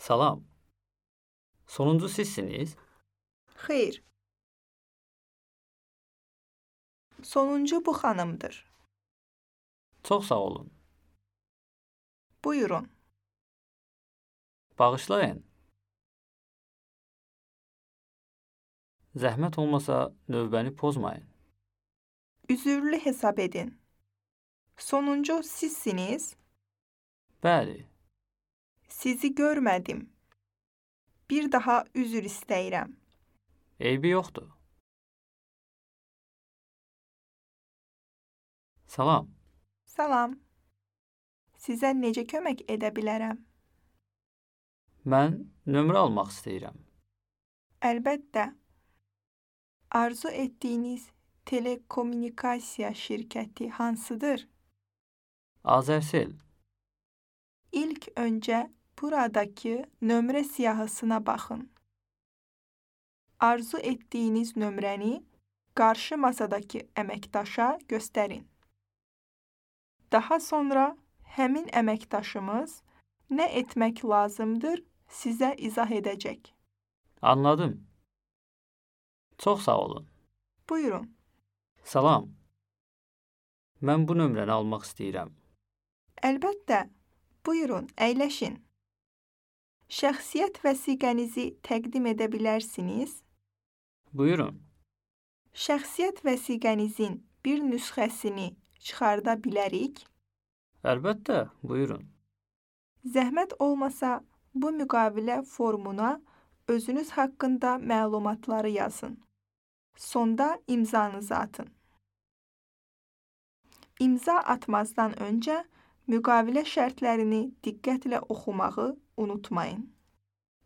Salam. Sonuncu sizsiniz? Xeyr. Sonuncu bu xanımdır. Çox sağ olun. Buyurun. Bağışlayın. Zəhmət olmasa növbəni pozmayın. Üzürlü hesab edin. Sonuncu sizsiniz. Bəli, Sizi görmədim. Bir daha üzr istəyirəm. eybi yoxdur. Salam. Salam. Sizə necə kömək edə bilərəm? Mən nömrə almaq istəyirəm. Əlbəttə. Arzu etdiyiniz telekommunikasiya şirkəti hansıdır? Azərsel. İlk öncə buradakı nömrə siyahısına baxın. Arzu etdiyiniz nömrəni qarşı masadakı əməkdaşa göstərin. Daha sonra həmin əməkdaşımız nə etmək lazımdır sizə izah edəcək. Anladım. Çox sağ olun. Buyurun. Salam. Mən bu nömrəni almaq istəyirəm. Əlbəttə. Buyurun, əyləşin. Şəxsiyyət vəsiqənizi təqdim edə bilərsiniz. Buyurun. Şəxsiyyət vəsiqənizin bir nüsxəsini çıxarda bilərik. Əlbəttə, buyurun. Zəhmət olmasa bu müqavilə formuna özünüz haqqında məlumatları yazın. Sonda imzanızı atın. İmza atmazdan öncə müqavilə şərtlərini diqqətlə oxumağı unutmayın.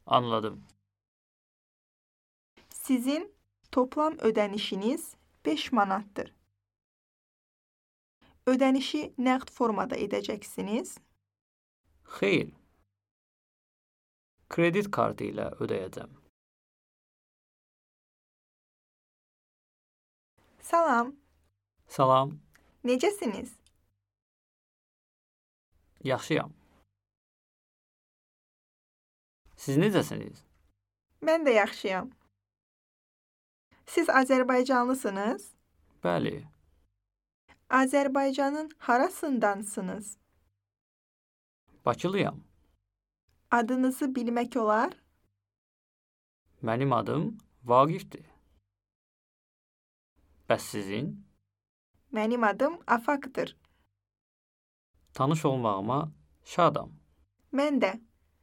Anladım. Sizin toplam ödənişiniz 5 manatdır. Ödənişi nəqd formada edəcəksiniz. Xeyr. Kredit kartı ilə ödəyəcəm. Salam, Salam. necəsiniz? Yaxşıyam. Siz necəsiniz? Mən də yaxşıyam. Siz Azərbaycanlısınız? Bəli. Azərbaycanın harasındansınız? Bakılıyam. Adınızı bilmək olar? Mənim adım Vaqifdir. Bəs sizin? Mənim adım Afaqdır. Tanış olmağıma şadam. Mən də.